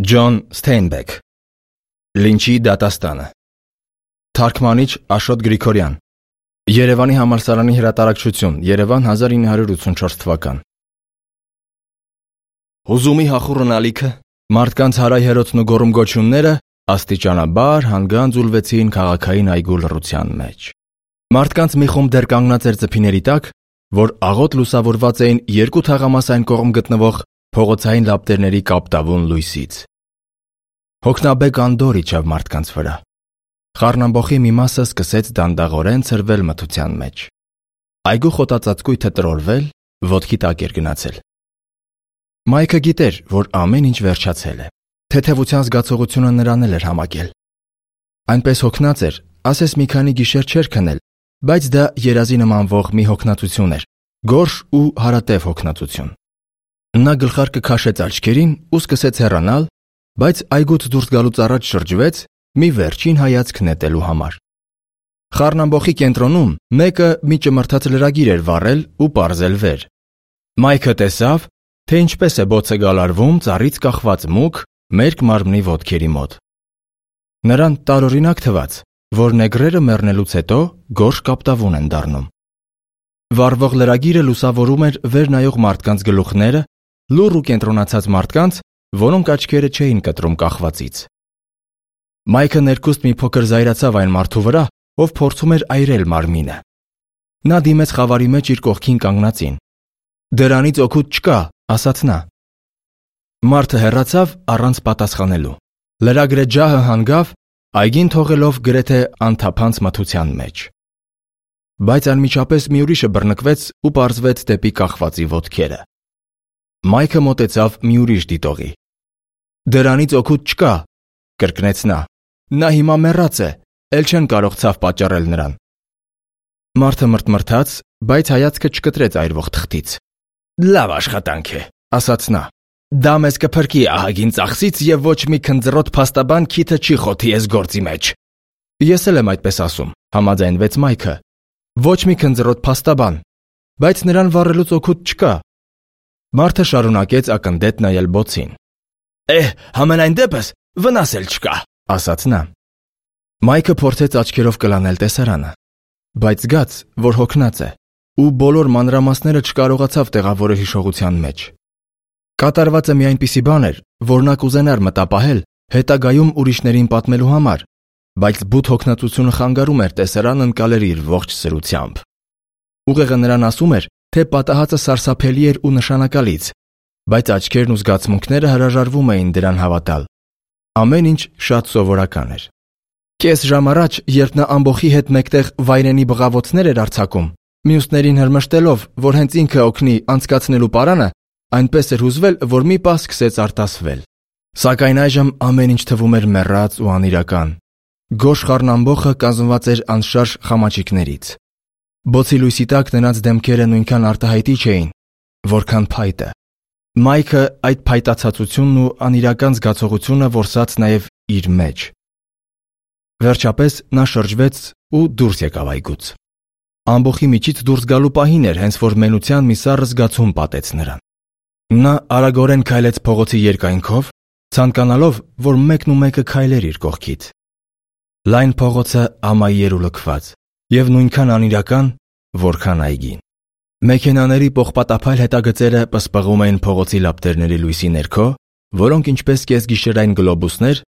Ջոն Սթեյնբեք Լինչի դատաստանը Թարգմանիչ Աշոտ Գրիգորյան Երևանի համալսարանի հրատարակչություն Երևան 1984 թվական Հուզումի հախուռն ալիքը մարդկանց հարայհերոցն ու գոռում-գոչյունները աստիճանաբար հանգան ձուլվեցին քաղաքային այգու լռության մեջ։ Մարդկանց մի խումբ դեռ կանգնած էր ծփիների տակ, որ աղոտ լուսավորված էին երկու թաղամասային կողմ գտնվող փողոցային լապտերների կապտավուն լույսից։ Հոգնաբեկ անդորր իջավ մարդկանց վրա։ Խառնամբոխի մի մասը սկսեց դանդաղորեն ցրվել մթության մեջ։ Այգու խոտածածկույթը տրորվել, ոտքի տակ էր գնացել։ Մայքը գիտեր, որ ամեն ինչ վերջացել է։ Թեթևության զգացողությունը նրան էլ էր համակել։ Այնպես հոգնած էր, ասես մի քանի գիշեր չէր քնել, բայց դա երազի նմանվող մի հոգնածություն էր, գորշ ու հարատև հոգնածություն։ Նա գլխարկը քաշեց աչքերին ու սկսեց հեռանալ, բայց այգուց դուրս գալուց առաջ շրջվեց մի վերջին հայացք նետելու համար։ Խառնամբոխի կենտրոնում մեկը մի ճմրթած լրագիր էր վառել ու պարզել վեր։ Մայքը տեսավ, թե ինչպես է բոցը գալարվում ծառից կախված մուգ մերկ մարմնի ոտքերի մոտ։ Նրան տարօրինակ թվաց, որ նեգրերը մեռնելուց հետո գորշ կապտավուն են դառնում։ Վառվող լրագիրը լուսավորում էր վեր նայող մարդկանց գլուխները, լուռ ու կենտրոնացած մարդկանց, որոնք աչքերը չէին կտրում կախվածից։ Մայքը ներքուստ մի փոքր զայրացավ այն մարդու վրա, ով փորձում էր այրել մարմինը։ Նա դիմեց խավարի մեջ իր կողքին կանգնածին։ «Դրանից օգուտ չկա», ասաց նա։ Մարդը հեռացավ առանց պատասխանելու։ Լրագրե ջահը հանգավ, այգին թողելով գրեթե անթափանց մթության մեջ։ Բայց անմիջապես մի ուրիշը բռնկվեց ու պարզվեց դեպի կախվածի ոտքերը։ Մայքը մոտեցավ մի ուրիշ դիտողի։ «Դրանից օգուտ չկա», կրկնեց նա։ «Նա հիմա մեռած է, էլ չեն կարող ցավ պատճառել նրան»։ Մարդը մրթմրթաց, բայց հայացքը չկտրեց այրվող թղթից։ «Լավ աշխատանք է», ասաց նա։ «Դա մեզ կփրկի ահագին ծախսից եւ ոչ մի քնձռոտ փաստաբան քիթը չի խոթի այս գործի մեջ»։ Ես էլ եմ այդպես ասում, համաձայնվեց Մայքը։ Ոչ մի քնձռոտ փաստաբան, բայց նրան վառելուց օգուտ չկա։ Մարդը շարունակեց ակնդետ նայել բոցին։ Համենայն դեպս վնաս էլ չկա, ասաց նա։ Մայքը փորձեց աչքերով կլանել տեսարանը, բայց զգաց, որ հոգնած է, ու բոլոր մանրամասները չկարողացավ տեղավորել հիշողության մեջ։ Կատարվածը մի այնպիսի բան էր, որ նա կուզենար մտապահել հետագայում ուրիշներին պատմելու համար, բայց բութ հոգնածությունը խանգարում էր տեսարան ընկալել իր ողջ սրությամբ։ Ուղեղը նրան ասում էր, թե պատահածը սարսափելի էր ու նշանակալից, բայց աչքերն ու զգացմունքները հրաժարվում էին դրան հավատալ։ Ամեն ինչ շատ սովորական էր։ Կես ժամ առաջ, երբ նա ամբոխի հետ մեկտեղ վայրենի բղավոցներ էր արձակում, մյուսներին հրմշտելով, որ հենց ինքը օգնի անցկացնելու պարանը, այնպես էր հուզվել, որ մի պահ սկսեց արտասվել։ Սակայն այժմ ամեն ինչ թվում էր մեռած ու անիրական։ Գորշ խառնամբոխը կազմված էր անշարժ խամաչիկներից։ Բոցի լույսի տակ նրանց դեմքերը նույնքան արտահայտիչ էին, որքան փայտը։ Մայքը այդ փայտացածությունն ու անիրական զգացողությունը որսաց նաև իր մեջ։ Վերջապես նա շրջվեց ու դուրս եկավ այգուց։ Ամբոխի միջից դուրս գալու պահին էր, հենց որ մենության մի սառը զգացում պատեց նրան։ Նա արագորեն քայլեց փողոցի երկայնքով, ցանկանալով, որ մեկն ու մեկը քայլեր իր կողքից։ Լայն փողոցը ամայի էր ու լքված, եւ նույնքան անիրական, որքան այգին։ Մեքենաների պողպատափայլ հետագծերը պսպղում էին փողոցի լապտերների լույսի ներքո, որոնք ինչպես կեսգիշերային գլոբուսներ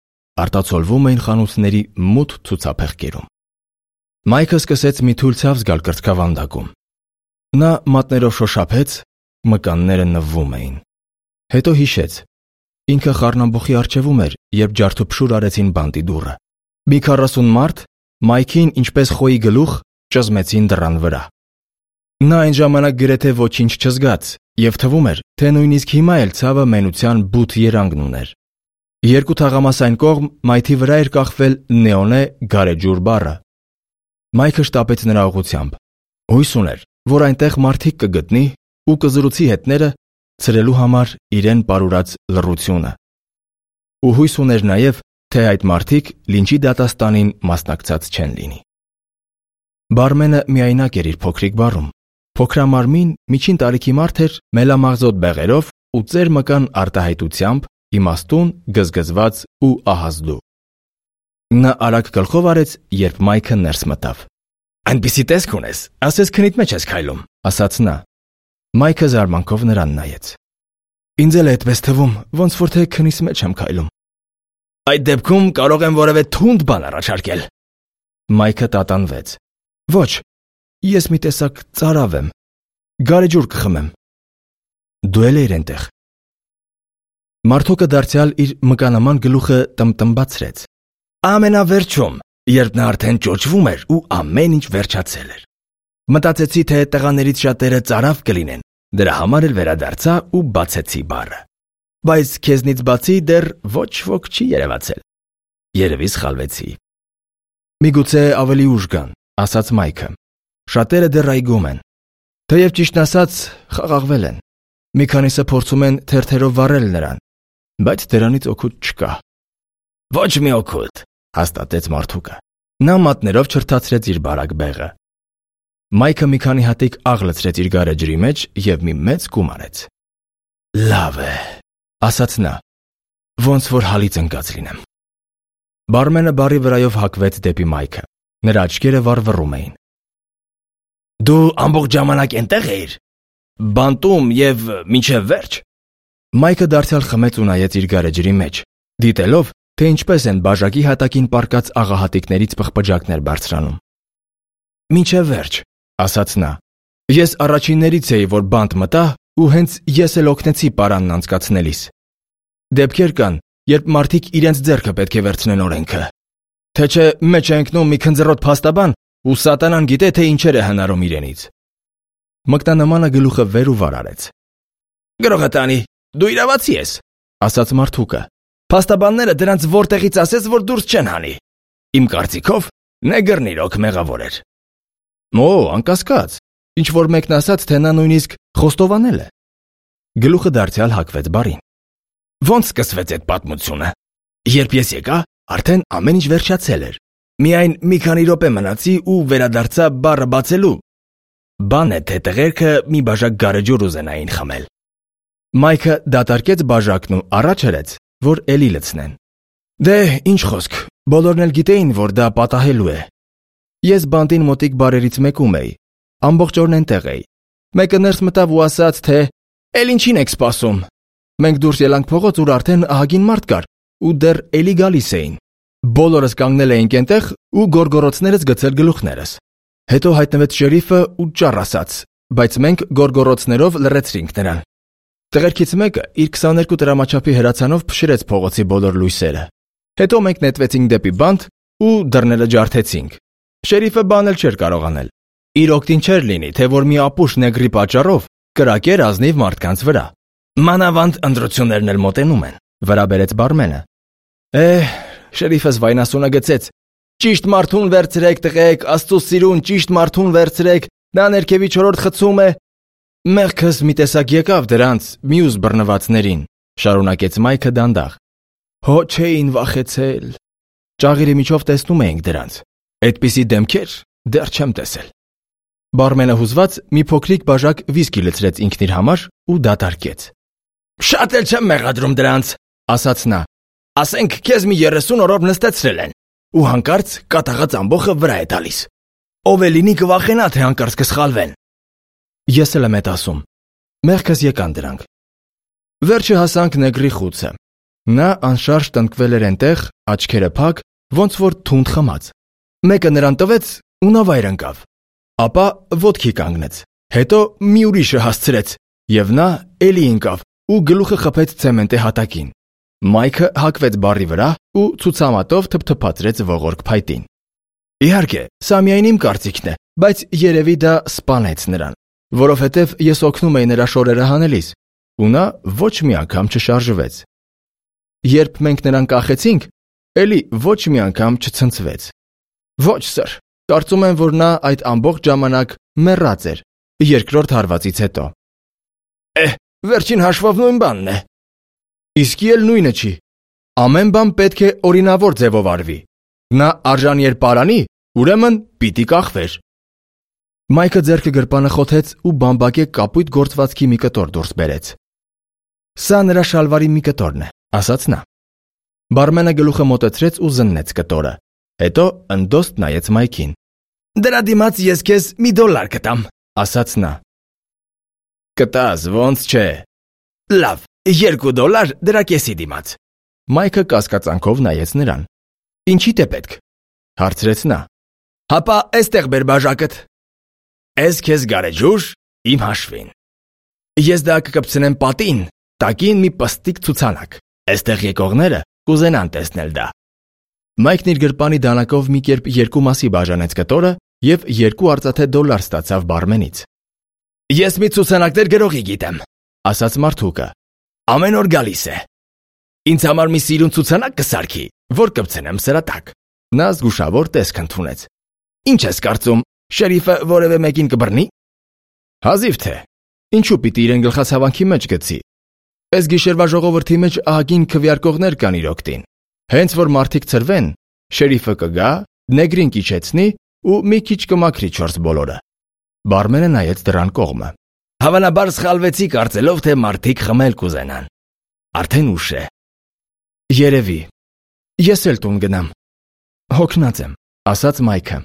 արտացոլվում էին խանութների մութ ցուցափեղկերում։ Մայքը սկսեց մի թույլ ցավ զգալ կրծքավանդակում։ Նա մատներով շոշափեց, մկանները նվվում էին։ Հետո հիշեց։ Ինքը խառնամբոխի առջևում էր, երբ ջարդուփշուր արեցին բանտի դուռը։ Մի 40 մարդ Մայքին ինչպես խոյի գլուխ ճզմեցին դռան վրա։ Նա այն ժամանակ գրեթե ոչինչ չզգաց, եւ թվում էր, թե նույնիսկ հիմա էլ ցավը մենության բութ երանգն ուներ։ Երկու թաղամասային կողմ մայթի վրա էր կախվել նեոնե գարեջուր բառը։ Մայքը շտապեց նրա ուղությամբ։ Հույս ուներ, որ այնտեղ մարդիկ կգտնի ու կզրուցի հետները ցրելու համար իրեն պարուրած լռությունը։ Ու հույս ուներ նաև, թե այդ մարդիկ լինչի դատաստանին մասնակցած չեն լինի։ Բարմենը միայնակ էր իր փոքրիկ բարում։ Փոքրամարմին միջին տարիքի մարդ էր մելամաղձոտ բեղերով ու ծեր մկան արտահայտությամբ իմաստուն, գզգզված ու ահազդու։ Նա արագ գլխով արեց, երբ Մայքը ներս մտավ։ «Այնպիսի տեսք ունես, ասես քնիդ մեջ ես քայլում», ասաց նա։ Մայքը զարմանքով նրան նայեց։ «Ինձ էլ է այդպես թվում, ոնց որ թե քնիս մեջ եմ քայլում»։ «Այդ դեպքում կարող եմ որևէ թունդ բան առաջարկել»։ Մայքը տատանվեց։ «Ոչ, ես մի տեսակ ծարավ եմ։ Գարեջուր կխմեմ»։ Դու էլ էիր այնտեղ։ Մարդուկը դարձյալ իր մկանաման գլուխը տմտմբացրեց։ Ամենավերջում, երբ նա արդեն ճոճվում էր ու ամեն ինչ վերջացել էր։ Մտածեցի, թե տղաներից շատերը ծարավ կլինեն, դրա համար էլ վերադարձա ու բացեցի բառը։ Բայց քեզնից բացի դեռ ոչ ոք չի երևացել։ Երևի սխալվեցի։ Միգուցե ավելի ուշ գան, ասաց Մայքը։ Շատերը դեռ այգում են։ Թեև ճիշտն ասած, խաղաղվել են։ Մի քանիսը փորձում են թերթերով վառել նրան, բայց դրանից օգուտ չկա։ Ոչ մի օգուտ, հաստատեց մարդուկը։ Նա մատներով չրթացրեց իր բարակ բեղը։ Մայքը մի քանի հատիկ աղ լցրեց իր գարեջրի մեջ և մի մեծ կում արեց։ Լավ է, ասաց նա, ոնց որ հալից ընկած լինեմ։ Բարմենը բարի վրայով հակվեց դեպի Մայքը։ Նրա աչքերը վառվռում էին։ Դու ամբողջ ժամանակ այնտեղ էիր։ Բանտում և մինչև վերջ։ Մայքը դարձյալ խմեց ու նայեց իր գարեջրի մեջ, դիտելով, թե ինչպես են բաժակի հատակին պառկած աղահատիկներից պղպջակներ բարձրանում։ Մինչև վերջ, ասաց նա։ Ես առաջիններից էի, որ բանտ մտա, ու հենց ես էլ օգնեցի պարանն անցկացնելիս։ Դեպքեր կան, երբ մարդիկ իրենց ձեռքը պետք է վերցնեն օրենքը։ Թե չէ մեջ է ընկնում մի քնձռոտ փաստաբան, ու սատանան գիտե, թե ինչեր է հնարում իրենից։ Մկնանամանը գլուխը վեր ու վար արեց։ Գրողը տանի, դու իրավացի ես, ասաց մարդուկը։ Փաստաբանները դրանց որտեղից ասես, որ դուրս չեն հանի։ Իմ կարծիքով, նեգրն իրոք մեղավոր էր։ Օ, անկասկած, ինչ որ մեկն ասաց, թե նա նույնիսկ խոստովանել է։ Գլուխը դարձյալ հակվեց բարին։ Ոնց սկսվեց այդ պատմությունը։ Երբ ես եկա, արդեն ամեն ինչ վերջացել էր։ Միայն մի քանի րոպե մնացի ու վերադարձա բառը բացելու։ Բան է, թե տղերքը մի բաժակ գարեջուր ուզենային խմել։ Մայքը դատարկեց բաժակն ու առաջ հրեց, որ էլի լցնեն։ Դե, ինչ խոսք, բոլորն էլ գիտեին, որ դա պատահելու է։ Ես բանտին մոտիկ բարերից մեկում էի, ամբողջ օրն այնտեղ էի։ Մեկը ներս մտավ ու ասաց, թե «Էլ ինչին եք սպասում»։ Մենք դուրս ելանք փողոց, ուր արդեն ահագին մարդ կար, ու դեռ էլի գալիս էին։ Բոլորս կանգնել էինք այնտեղ ու գորգորոցներս գցել գլուխներս։ Հետո հայտնվեց շերիֆը ու ճառ ասաց, բայց մենք գորգորոցներով լռեցրինք նրան։ Տղերքից մեկը իր 22 տրամաչափի հրացանով փշրեց փողոցի բոլոր լույսերը։ Հետո մենք նետվեցինք դեպի բանտ ու դռները ջարդեցինք։ Շերիֆը բանել չէր կարող անել։ Իր օգտին չէր լինի, թե որ մի ապուշ նեգրի պատճառով կրակեր ազնիվ մարդկանց վրա։ Մանավանդ ընտրություններն էլ մոտենում են, վրա բերեց բարմենը։ Շերիֆս վայնասունը գցեց. Ճիշտ մարդուն վերցրեք, տղեկ, Աստծո սիրուն, ճիշտ մարդուն վերցրեք, նա ներքևի 4-րդ խցում է։ Մեղքս մի տեսակ եկավ դրանց, մյուս բռնվածներին, շարունակեց Մայքը դանդաղ։ Հո չէին վախեցել։ Ճաղիրի միջով տեսնում էինք դրանց։ Այդպիսի դեմքեր դեռ չեմ տեսել։ Բարմենը հուզված մի փոքրիկ բաժակ վիսկի լցրեց ինքն իր համար ու դատարկեց։ Շատ էլ չեմ մեղադրում դրանց, ասաց նա։ Ասենք քեզ մի 30 օրով նստեցրել են, ու հանկարծ կատաղած ամբոխը վրա է տալիս։ Ով է լինի կվախենա, թե հանկարծ կսխալվեն։ Ես էլ եմ էդ ասում։ Մեղքս եկան դրանք։ Վերջը հասանք նեգրի խուցը։ Նա անշարժ տնկվել էր այնտեղ, աչքերը փակ, ոնց որ թունդ խմած։ Մեկը նրան տվեց ու նա վայր ընկավ։ Ապա ոտքի կանգնեց։ Հետո մի ուրիշը հասցրեց, եւ նա էլի ընկավ ու գլուխը խփեց ցեմենտի հատակին։ Մայքը հակվեց բարի վրա ու ցուցամատով թփթփացրեց ողորկ փայտին։ Իհարկե, սա միայն իմ կարծիքն է, բայց երևի դա սպանեց նրան, որովհետև ես օգնում էի նրա շորերը հանելիս, ու նա ոչ մի անգամ չշարժվեց։ Երբ մենք նրան կախեցինք, էլի ոչ մի անգամ չցնցվեց։ Ոչ, սր, կարծում եմ, որ նա այդ ամբողջ ժամանակ մեռած էր, երկրորդ հարվածից հետո։ Վերջին հաշվով նույն բանն է։ Իսկի էլ նույնը չի։ Ամեն բան պետք է օրինավոր ձևով արվի։ Նա արժանի էր պարանի, ուրեմն պիտի կախվեր։ Մայքը ձեռքը գրպանը խոթեց ու բամբակե կապույտ գործվածքի մի կտոր դուրս բերեց։ Սա նրա շալվարի մի կտորն է, ասաց նա։ Բարմենը գլուխը մոտեցրեց ու զննեց կտորը, հետո ընդոստ նայեց Մայքին։ Դրա դիմաց ես քեզ $1 կտամ, ասաց նա։ Կտաս, ոնց չէ։ Լավ, $2 դրա կեսի դիմաց։ Մայքը կասկածանքով նայեց նրան։ Ինչի՞դ է պետք, հարցրեց նա։ Հապա էստեղ բեր բաժակդ։ Ես քեզ գարեջուր իմ հաշվին։ Ես դա կկպցնեմ պատին, տակին մի պստիկ ցուցանակ։ Էստեղ եկողները կուզենան տեսնել դա։ Մայքն իր գրպանի դանակով մի կերպ երկու մասի բաժանեց կտորը և 2 արծաթե $1 ստացավ բարմենից։ Ես մի ցուցանակներ գրողի գիտեմ, ասաց մարդուկը։ Ամեն օր գալիս է։ Ինձ համար մի սիրուն ցուցանակ կսարքի, որ կպցնեմ սրա տակ։ Նա զգուշավոր տեսք ընդունեց։ Ինչ ես կարծում, շերիֆը որևէ մեկին կբռնի։ Հազիվ թե։ Ինչու պիտի իրեն գլխացավանքի մեջ գցի։ Այս գիշերվա ժողովրդի մեջ ահագին քվեարկողներ կան իր օգտին։ Հենց որ մարդիկ ցրվեն, շերիֆը կգա, նեգրին կիչեցնի ու մի քիչ կմաքրի 4 բոլորը։ Բարմենը նայեց դրան կողմը։ Հավանաբար սխալվեցի կարծելով, թե մարդիկ խմել կուզենան։ Արդեն ուշ է։ Երևի։ Ես էլ տուն գնամ։ Հոգնած եմ, ասաց Մայքը։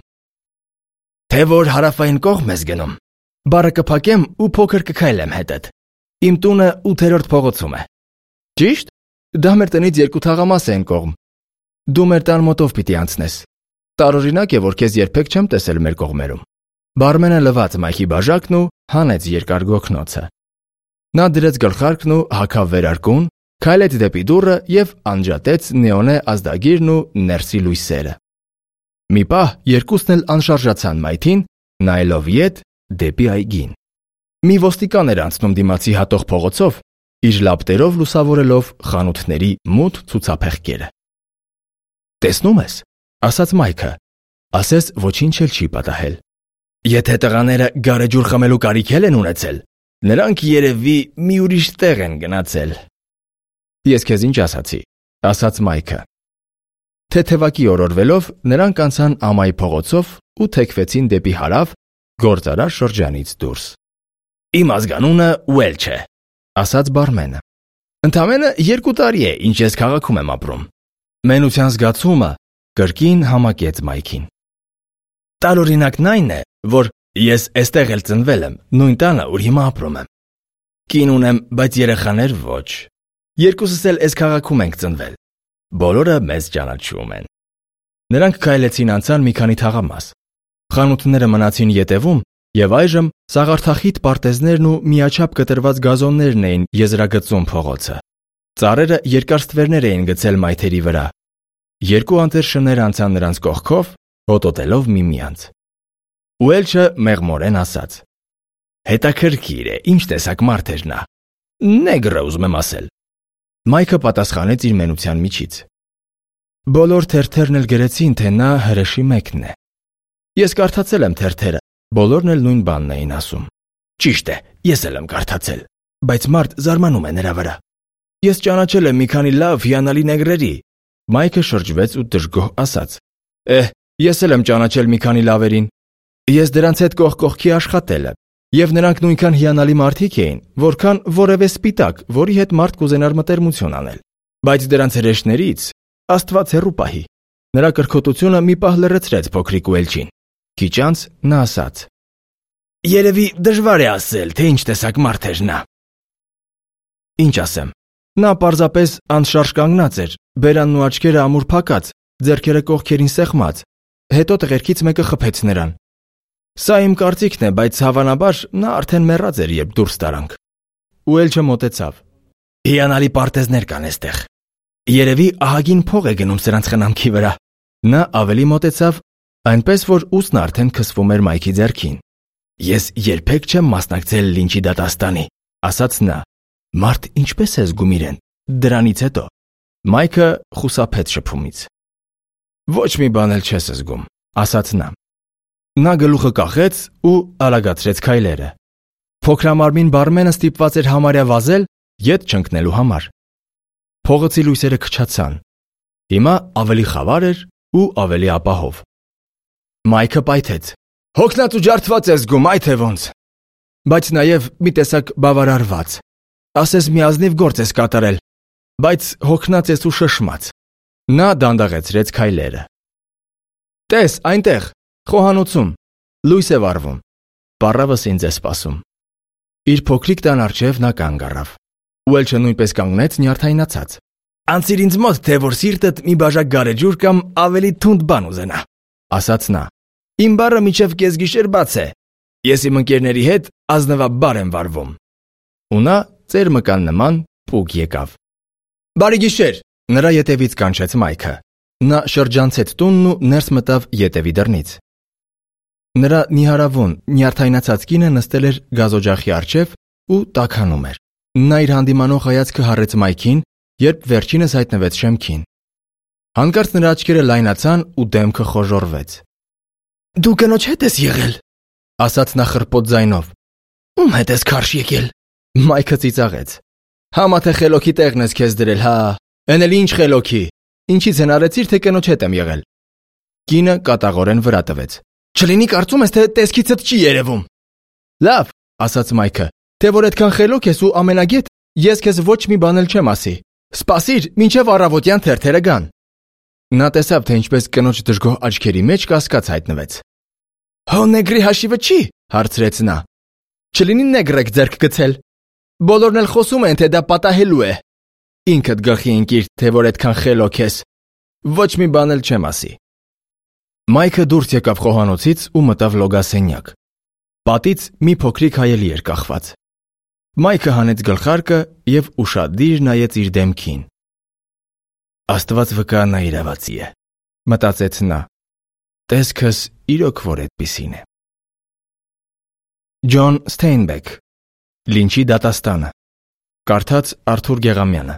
Թե որ հարավային կողմ ես գնում։ Բարը կփակեմ ու փոքր կքայլեմ հետդ։ Իմ տունը 8-րդ փողոցում է։ Ճիշտ։ Դա մեր տնից 2 թաղամաս է այն կողմ։ Դու մեր տան մոտով պիտի անցնես։ Տարօրինակ է, որ քեզ երբեք չեմ տեսել մեր կողմերում։ Բարմենը լվաց Մայքի բաժակն ու հանեց երկար գոգնոցը։ Նա դրեց գլխարկն ու հագավ վերարկուն, քայլեց դեպի դուռը և անջատեց նեոնե ազդագիրն ու ներսի լույսերը։ Մի պահ երկուսն էլ անշարժացան մայթին, նայելով ետ դեպի այգին։ Մի ոստիկան էր անցնում դիմացի հատող փողոցով, իր լապտերով լուսավորելով խանութների մութ ցուցափեղկերը։ Տեսնում ես, ասաց Մայքը, ասես ոչինչ էլ չի պատահել։ Եթե տղաները գարեջուր խմելու կարիք են ունեցել, նրանք երևի մի ուրիշ տեղ են գնացել։ Ես քեզ ինչ ասացի, ասաց Մայքը։ Թեթևակի օրորվելով նրանք անցան ամայի փողոցով ու թեքվեցին դեպի հարավ գործարար շրջանից դուրս։ Իմ ազգանունը Ուելչ է, ասաց բարմենը։ Ընդամենը 2 տարի է, ինչ ես քաղաքում եմ ապրում։ Մենության զգացումը կրկին համակեց Մայքին։ Տարօրինակն այն է, որ ես էստեղ էլ ծնվել եմ, նույն տանը, ուր հիմա ապրում եմ։ Կին ունեմ, բայց երեխաներ ոչ։ Երկուսս էլ այս քաղաքում ենք ծնվել։ Բոլորը մեզ ճանաչում են։ Նրանք քայլեցին անցան մի քանի թաղամաս։ Խանութները մնացին ետևում, եւ այժմ սաղարթախիտ պարտեզներն ու միաչափ կտրված գազոններն էին եզրագծում փողոցը։ Ծառերը երկար ստվերներ էին գցել մայթերի վրա։ 2 անտեր շներ անցան նրանց կողքով, հոտոտելով միմյանց։ Ուելչը մեղմորեն ասաց. Հետաքրքիր է, ինչ տեսակ մարդ էր նա։ Նեգրը ուզում եմ ասել։ Մայքը պատասխանեց իր մենության միջից. Բոլոր թերթերն էլ գրեցին, թե նա հրեշի մեկն է։ Ես կարդացել եմ թերթերը, բոլորն էլ նույն բանն էին ասում։ Ճիշտ է, ես էլ եմ կարդացել, բայց մարդ զարմանում է նրա վրա։ Ես ճանաչել եմ մի քանի լավ հիանալի նեգրերի։ Մայքը շրջվեց ու դժգոհ ասաց. Ես էլ եմ ճանաչել մի քանի լավերին։ Ես դրանց հետ կողք կողքի աշխատել եմ, եւ նրանք նույնքան հիանալի մարդիկ էին, որքան որևէ սպիտակ, որի հետ մարդ կուզենար մտերմություն անել։ Բայց դրանց հրեշներից Աստված հեռու պահի։ Նրա կրքոտությունը մի պահ լրացրեց փոքրիկ Ուելչին։ Քիչ անց նա ասաց. Երևի դժվար է ասել, թե ինչ տեսակ մարդ էր նա։ Ինչ ասեմ։ Նա պարզապես անշարժ կանգնած էր, բերանն ու աչքերը ամուր փակած, ձեռքերը կողքերին սեղմած։ Հետո տղերքից մեկը խփեց նրան։ Սա իմ կարծիքն է, բայց հավանաբար նա արդեն մեռած էր, երբ դուրս տարանք։ Ուելչը մոտեցավ։ Հիանալի պարտեզներ կան այստեղ։ Երևի ահագին փող է գնում սրանց խնամքի վրա։ Նա ավելի մոտեցավ, այնպես որ ուսն արդեն քսվում էր Մայքի ձեռքին։ Ես երբեք չեմ մասնակցել լինչի դատաստանի, ասաց նա։ Մարդ ինչպես է զգում իրեն։ Դրանից հետո Մայքը խուսափեց շփումից։ Ոչ մի բան էլ չես զգում, ասաց նա։ Նա գլուխը կախեց ու արագացրեց քայլերը։ Փոքրամարմին բարմենը ստիպված էր համարյա վազել ետ չընկնելու համար։ Փողոցի լույսերը քչացան։ Հիմա ավելի խավար էր ու ավելի ապահով։ Մայքը պայթեց. Հոգնած ու ջարդված ես զգում, այ թե ոնց։ Բայց նաև մի տեսակ բավարարված։ Ասես մի ազնիվ գործ ես կատարել։ բայց հոգնած ես ու շշմած։ Նա դանդաղեցրեց քայլերը։ Տես, այնտեղ, խոհանոցում, լույս է վառվում։ Պառավս ինձ է սպասում։ Իր փոքրիկ տան առջև նա կանգ առավ։ Ուելչը նույնպես կանգնեց նյարդայնացած։ Անցիր ինձ մոտ, թե որ սիրտդ մի բաժակ գարեջուր կամ ավելի թունդ բան ուզենա, ասաց նա։ Իմ բարը մինչև կեսգիշեր բաց է։ Ես իմ ընկերների հետ ազնվաբար եմ վարվում։ Ու նա ծեր մկան նման պուկ եկավ։ Բարի գիշեր, նրա ետևից կանչեց Մայքը։ Նա շրջանցեց տունն ու ներս մտավ ետևի դռնից։ Նրա նիհարավուն, նյարդայնացած կինը նստել էր գազօջախի առջև ու տաքանում էր։ Նա իր հանդիմանող հայացքը հառեց Մայքին, երբ վերջինս հայտնվեց շեմքին։ Հանկարծ նրա աչքերը լայնացան ու դեմքը խոժոռվեց։ Դու կնոջ հետ ես եղել, ասաց նա խռպոտ ձայնով։ Ում հետ ես քարշ եկել։ Մայքը ծիծաղեց։ Համա թե խելոքի տեղն ես քեզ դրել, հա։ Էն էլ ինչ խելոքի։ Ինչից են արեցիր, թե կնոջ հետ եմ եղել։ Կինը կատաղորեն վրա տվեց։ Չլինի կարծում ես, թե տեսքիցդ չի երևում։ Լավ, ասաց Մայքը, թե որ այդքան խելոք ես ու ամենագետ, ես քեզ ոչ մի բան էլ չեմ ասի։ Սպասիր, մինչև առավոտյան թերթերը գան։ Նա տեսավ, թե ինչպես կնոջ դժգոհ աչքերի մեջ կասկած հայտնվեց։ Հո նեգրի հաշիվը չի, հարցրեց նա։ Չլինի նեգրեք ձեռք գցել։ Բոլորն էլ խոսում են, թե դա պատահելու է։ Ինքդ գլխի ընկիր, թե որ այդքան խելոք ես։ Ոչ մի բան էլ չեմ ասի։ Մայքը դուրս եկավ խոհանոցից ու մտավ լոգասենյակ։ Պատից մի փոքրիկ հայելի էր կախված։ Մայքը հանեց գլխարկը և ուշադիր նայեց իր դեմքին։ Աստված վկա նա իրավացի է, մտածեց նա։ Տեսքս իրոք որ այդպիսին է։ Ջոն Ստեյնբեք, Լինչի դատաստանը։ Կարդաց Արթուր Գեղամյանը։